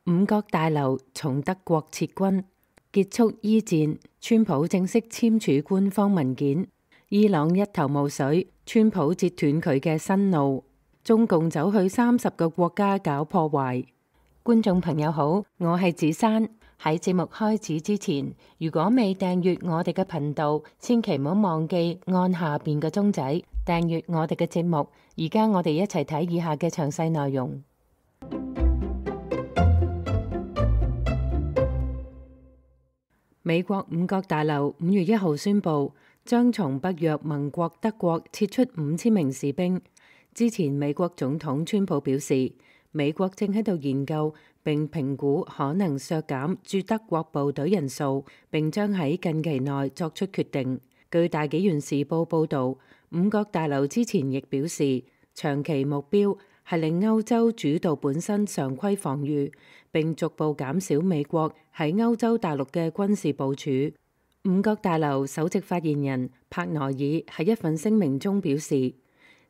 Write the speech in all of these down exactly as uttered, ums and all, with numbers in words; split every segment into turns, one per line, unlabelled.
五角大樓從德國撤軍，結束伊戰，川普正式簽署官方文件。伊朗一頭霧水，川普截斷佢嘅新路，中共走去三十個國家搞破壞。觀眾朋友好，我係子珊。喺節目開始之前，如果未訂閱我哋嘅頻道，千祈唔好忘記按下邊嘅鐘仔訂閱我哋嘅節目。而家我哋一齊睇以下嘅詳細內容。美國五角大樓五月一號宣布，將從北約盟國德國撤出五千名士兵。之前美國總統川普表示，美國正喺度研究並評估可能削減駐德國部隊人數，並將喺近期內作出決定。據大紀元時報報導，五角大樓之前亦表示，長期目標係令歐洲主導本身常規防禦，並逐步減少美國喺歐洲大陸嘅軍事部署。五角大樓首席發言人帕內爾喺一份聲明中表示，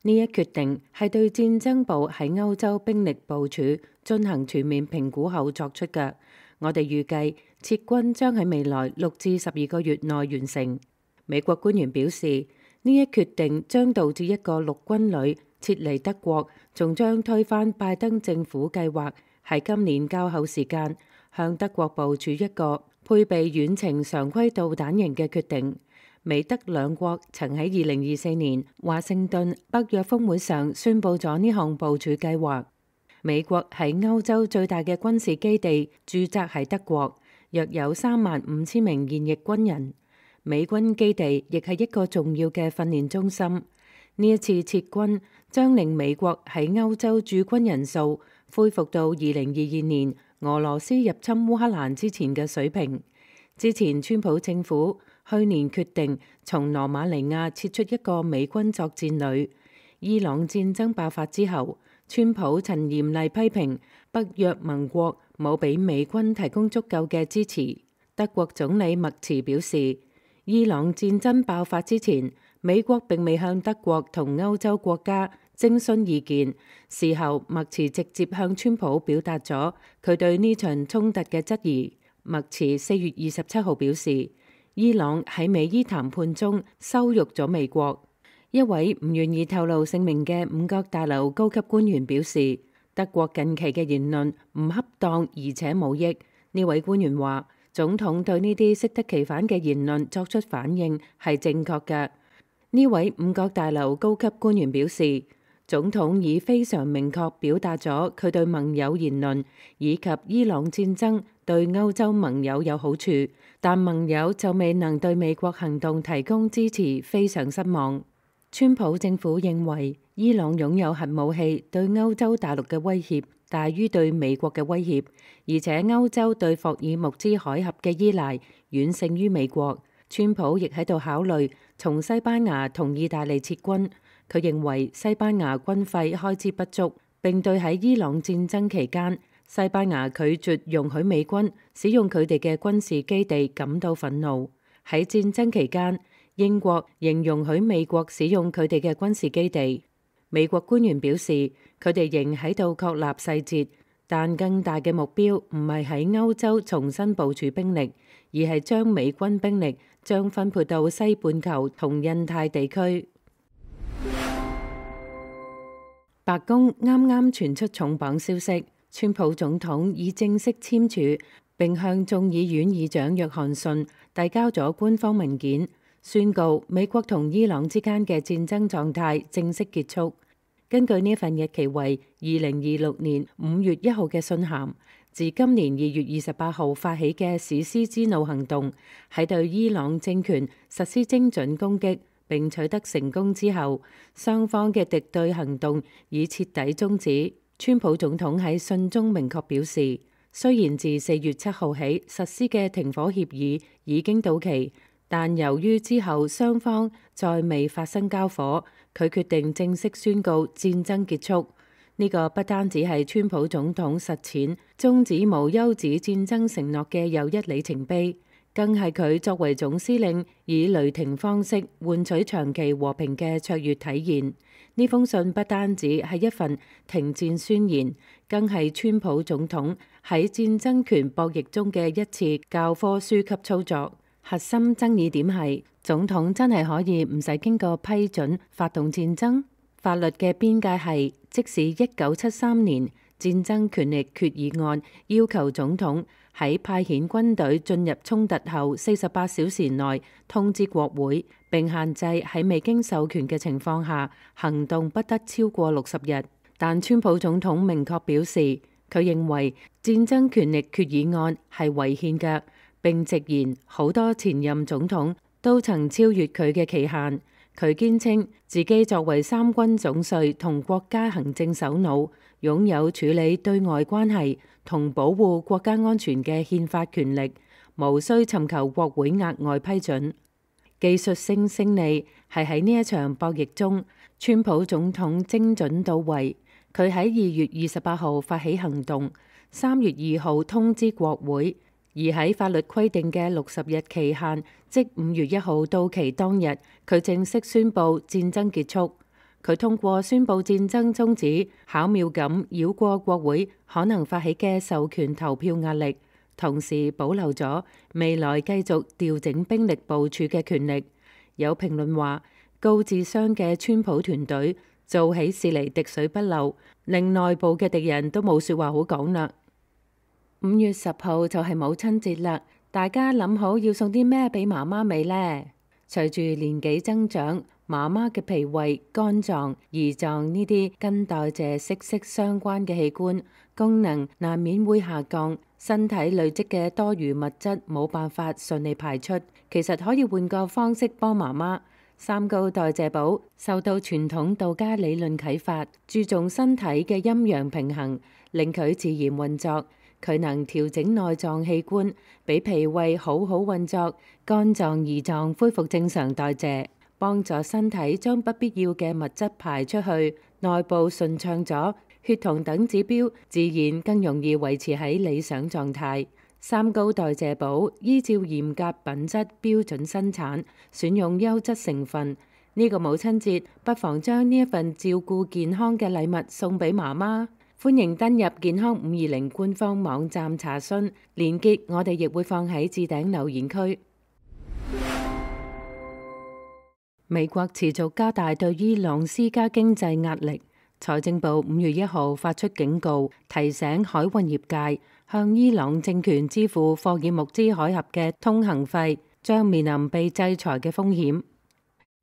呢一決定係對戰爭部喺歐洲兵力部署進行全面評估後作出嘅。我哋預計撤軍將喺未來六至十二個月內完成。美國官員表示，呢一決定將導致一個陸軍旅撤離德國，仲將推翻拜登政府計劃喺今年較後時間向德國部署一個配備遠程常規導彈型嘅決定。美德兩國曾喺二零二四年華盛頓北約峰會上宣布咗呢項部署計劃。美國喺歐洲最大嘅軍事基地駐紮喺德國，約有三萬五千名現役軍人。美軍基地亦係一個重要嘅訓練中心。呢一次撤軍將令美國喺歐洲駐軍人數恢復到二零二二年俄羅斯入侵烏克蘭之前嘅水平。之前川普政府去年決定從羅馬尼亞撤出一個美軍作戰旅。伊朗戰爭爆發之後，川普曾嚴厲批評北約盟國冇俾美軍提供足夠嘅支持。德國總理默茨表示，伊朗戰爭爆發之前，美國並未向德國同歐洲國家徵詢意見。事後，默茨直接向川普表達咗佢對呢場衝突嘅質疑。默茨四月二十七號表示，伊朗喺美伊談判中羞辱咗美國。一位唔願意透露姓名嘅五角大樓高級官員表示，德國近期嘅言論唔恰當而且冇益。呢位官員話，總統對呢啲適得其反嘅言論作出反應係正確嘅。呢位五角大樓高級官員表示，總統已非常明確表達咗佢對盟友言論以及伊朗戰爭對歐洲盟友有好處，但盟友就未能對美國行動提供支持，非常失望。川普政府認為伊朗擁有核武器對歐洲大陸嘅威脅大於對美國嘅威脅，而且歐洲對霍爾木茲海峽嘅依賴遠勝於美國。川普亦喺度考慮從西班牙同意大利撤軍。佢認為西班牙軍費開支不足，並對喺伊朗戰爭期間西班牙拒絕容許美軍使用佢哋嘅軍事基地感到憤怒。喺戰爭期間，英國仍容許美國使用佢哋嘅軍事基地。美國官員表示，佢哋仍喺度確立細節，但更大嘅目標唔係喺歐洲重新部署兵力，而係將美軍兵力將分配到西半球同印太地區。白宮啱啱傳出重磅消息，川普總統已正式簽署並向眾議院議長約翰遜遞交咗官方文件，宣告美國同伊朗之間嘅戰爭狀態正式結束。根據呢份日期為二零二六年五月一號嘅信函，自今年二月二十八號發起嘅史詩之怒行動，喺對伊朗政權實施精準攻擊並取得成功之後，雙方嘅敵對行動已徹底終止。川普總統喺信中明確表示，雖然自四月七號起實施嘅停火協議已經到期，但由於之後雙方再未發生交火，佢決定正式宣告戰爭結束。呢、這個不單止係川普總統實踐終止無休止戰爭承諾嘅又一里程碑，更係佢作為總司令以雷霆方式換取長期和平嘅卓越體現。呢封信不單止係一份停戰宣言，更係川普總統喺戰爭權博弈中嘅一次教科書級操作。核心爭議點係總統真係可以唔使經過批准發動戰爭？法律嘅邊界係，即使一九七三年戰爭權力決議案要求總統喺派遣軍隊進入衝突後四十八小時內通知國會，並限制喺未經授權嘅情況下行動不得超過六十日。但川普總統明確表示，佢認為戰爭權力決議案係違憲嘅，並直言好多前任總統都曾超越佢嘅期限。佢堅稱自己作為三軍總帥同國家行政首腦，擁有處理對外關係同保護國家安全嘅憲法權力，無需尋求國會額外批准。技術性勝利係喺呢一場博弈中，川普總統精準到位。佢喺二月二十八號發起行動，三月二號通知國會，而喺法律規定嘅六十日期限，即五月一號到期當日，佢正式宣布戰爭結束。佢通過宣布戰爭終止，巧妙咁繞過國會可能發起嘅授權投票壓力，同時保留咗未來繼續調整兵力部署嘅權力。有評論話，高智商嘅川普團隊做起事嚟滴水不漏，令內部嘅敵人都冇說話好講啦。五月十號就係母親節啦，大家諗好要送啲咩俾媽媽未呢？隨住年紀增長，媽媽嘅脾胃、肝臟、胰臟呢啲跟代謝息息相關嘅器官功能難免會下降，身體累積嘅多餘物質冇辦法順利排出。其實可以換個方式幫媽媽。三高代謝寶受到傳統道家理論啟發，注重身體嘅陰陽平衡，令佢自然運作。佢能調整內臟器官，俾脾胃好好運作，肝臟、胰臟恢復正常代謝，幫助身體將不必要嘅物質排出去，內部順暢咗，血糖等指標自然更容易維持喺理想狀態。三高代謝寶依照嚴格品質標準生產，選用優質成分。呢個母親節，不妨將呢一份照顧健康嘅禮物送俾媽媽。歡迎登入健康五二零官方網站查詢，連結我哋亦會放喺置頂留言區。美國持續加大對伊朗施加經濟壓力，財政部五月一號發出警告，提醒海運業界向伊朗政權支付霍爾木茲海峽嘅通行費，將面臨被制裁嘅風險。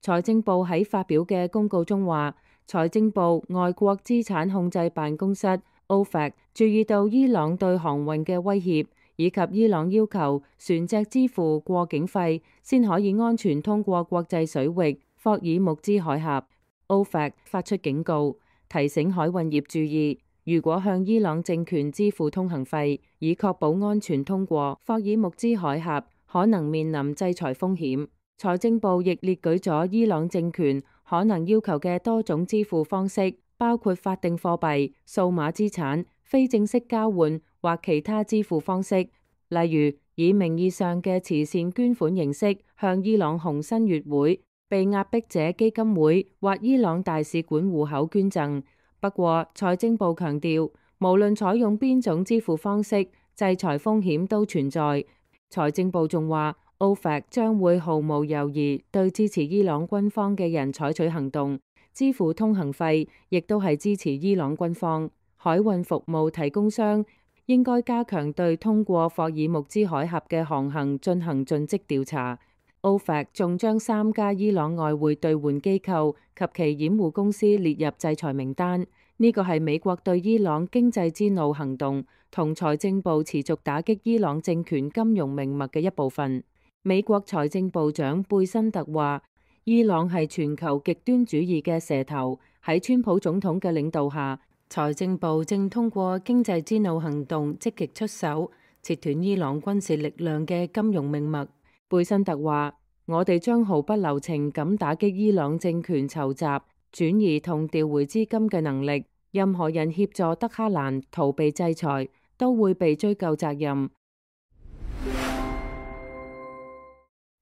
財政部喺發表嘅公告中話，財政部外國資產控制辦公室 O F A C 注意到伊朗對航運嘅威脅，以及伊朗要求船隻支付過境費先可以安全通過國際水域霍爾木茲海峽。O F A C 發出警告，提醒海運業注意，如果向伊朗政權支付通行費，以確保安全通過霍爾木茲海峽，可能面臨制裁風險。財政部亦列舉咗伊朗政權可能要求嘅多種支付方式，包括法定貨幣、數碼資產、非正式交換或其他支付方式，例如以名義上嘅慈善捐款形式向伊朗紅新月會、被壓迫者基金會或伊朗大使館戶口捐贈。不過，財政部強調，無論採用邊種支付方式，制裁風險都存在。財政部仲話，O F A C 將會毫無猶豫對支持伊朗軍方嘅人採取行動，支付通行費亦都係支持伊朗軍方。海運服務提供商應該加強對通過霍爾木茲海峽嘅航行進行盡職調查。O F A C 仲將三家伊朗外匯兌換機構及其掩護公司列入制裁名單。呢個係美國對伊朗經濟之怒行動同財政部持續打擊伊朗政權金融命脈嘅一部分。美國財政部長貝辛特話，伊朗係全球極端主義嘅蛇頭。喺川普總統嘅領導下，財政部正通過經濟之怒行動積極出手，切斷伊朗軍事力量嘅金融命脈。貝辛特話，我哋將毫不留情咁打擊伊朗政權籌集、轉移同調回資金嘅能力。任何人協助德黑蘭逃避制裁，都會被追究責任。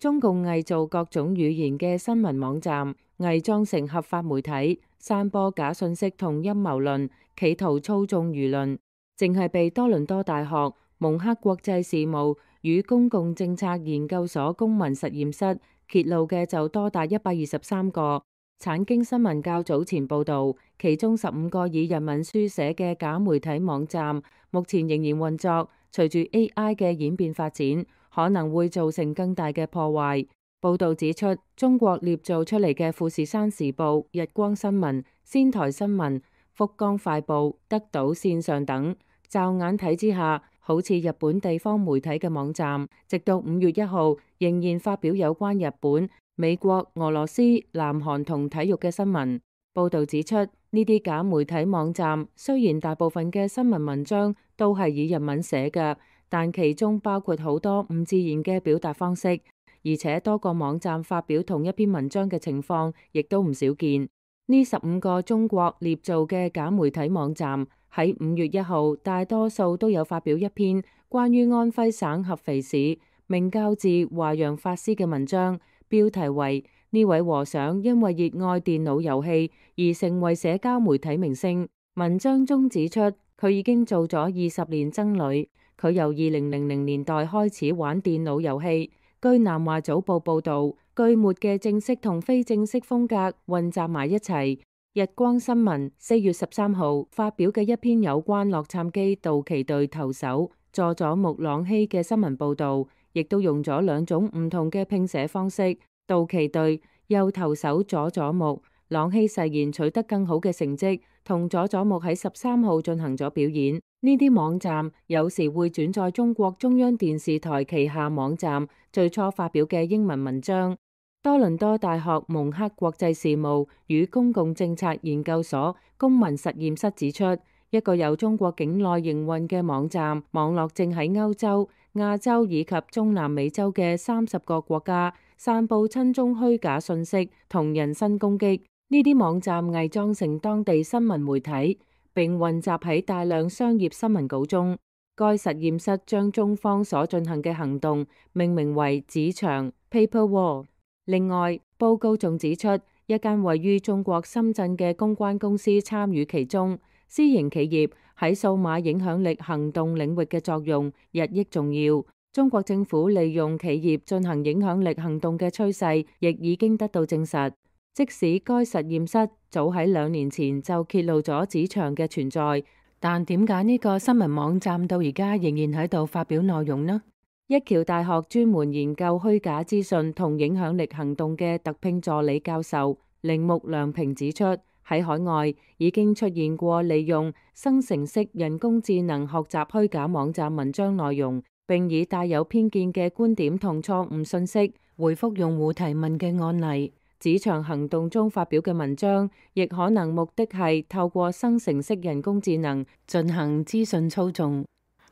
中共偽造各種語言嘅新聞網站，偽裝成合法媒體，散播假信息同陰謀論，企圖操縱輿論。淨係被多倫多大學蒙克國際事務與公共政策研究所公民實驗室揭露嘅就多達一百二十三個。產經新聞較早前報導，其中十五個以日文書寫嘅假媒體網站，目前仍然運作。隨住 A I 嘅演變發展，可能會造成更大嘅破壞。報導指出，中國捏造出嚟嘅富士山時報、日光新聞、仙台新聞、福岡快報、德島線上等，驟眼睇之下，好似日本地方媒體嘅網站，直到五月一號仍然發表有關日本、美國、俄羅斯、南韓同體育嘅新聞。報導指出，呢啲假媒體網站雖然大部分嘅新聞文章都係以日文寫嘅，但其中包括好多唔自然嘅表達方式，而且多個網站發表同一篇文章嘅情況亦都唔少見。呢十五個中國捏造嘅假媒體網站喺五月一號大多數都有發表一篇關於安徽省合肥市明教寺華陽法師嘅文章，標題為呢位和尚因為熱愛電腦遊戲而成為社交媒體明星。文章中指出，佢已經做咗二十年僧侶，佢由二零零零年代開始玩電腦遊戲。據南華早報報導，句末嘅正式同非正式風格混雜埋一齊。日光新聞四月十三號發表嘅一篇有關洛杉磯道奇隊投手佐佐木朗希嘅新聞報導，亦都用咗兩種唔同嘅拼寫方式。道奇隊右投手佐佐木朗希誓言取得更好嘅成績，同佐佐木喺十三號進行咗表演。呢啲網站有時會轉載中國中央電視台旗下網站最初發表嘅英文文章。多倫多大學蒙克國際事務與公共政策研究所公民實驗室指出，一個由中國境內營運嘅網站網絡正喺歐洲、亞洲以及中南美洲嘅三十個國家散布親中虛假信息同人身攻擊。呢啲網站偽裝成當地新聞媒體，並混雜喺大量商業新聞稿中。該實驗室將中方所進行嘅行動命名為紙牆 （Paper Wall）。另外，報告仲指出，一間位於中國深圳嘅公關公司參與其中。私營企業喺數碼影響力行動領域嘅作用日益重要。中國政府利用企業進行影響力行動嘅趨勢亦已經得到證實。即使該實驗室早喺兩年前就揭露咗紙牆嘅存在，但點解呢個新聞網站到而家仍然喺度發表內容呢？一橋大學專門研究虛假資訊同影響力行動嘅特聘助理教授鈴木良平指出，喺海外已經出現過利用生成式人工智能學習虛假網站文章內容，並以帶有偏見嘅觀點同錯誤信息回覆用戶提問嘅案例。紙牆行動中發表嘅文章，亦可能目的係透過生成式人工智能進行資訊操縱。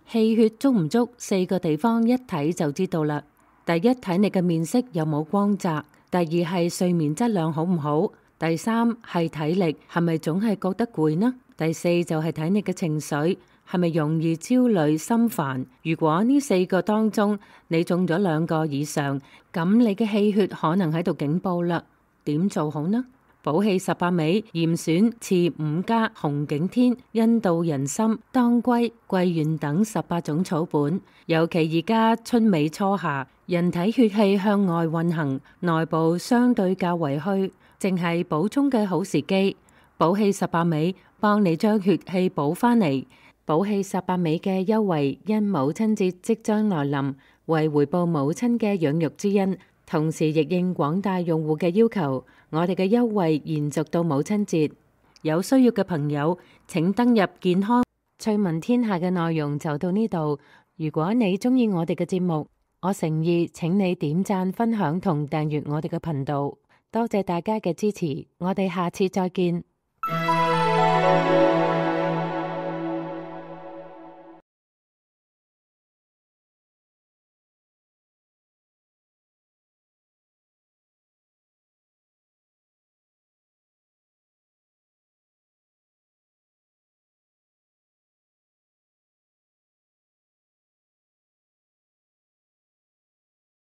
氣血足唔足，四個地方一睇就知道啦。第一，睇你嘅面色有冇光澤；第二係睡眠質量好唔好；第三係體力係咪總係覺得攰呢；第四就係睇你嘅情緒係咪容易焦慮心煩。如果呢四個當中你中咗兩個以上，咁你嘅氣血可能喺度警報啦。點做好呢？補氣十八味、嚴選、次五加、紅景天、印度人參、當歸、桂圓等十八種草本，尤其而家春尾初夏，人體血氣向外運行，內部相對較為虛，正係補充嘅好時機。補氣十八味幫你將血氣補返嚟。補氣十八味嘅優惠因母親節即將來臨，為回報母親嘅養育之恩，同時亦應廣大用戶嘅要求，我哋嘅優惠延續到母親節。有需要嘅朋友請登入健康趣聞天下嘅內容就到呢度。如果你鍾意我哋嘅節目，我誠意請你點讚、分享同訂閱我哋嘅頻道。多謝大家嘅支持，我哋下次再見。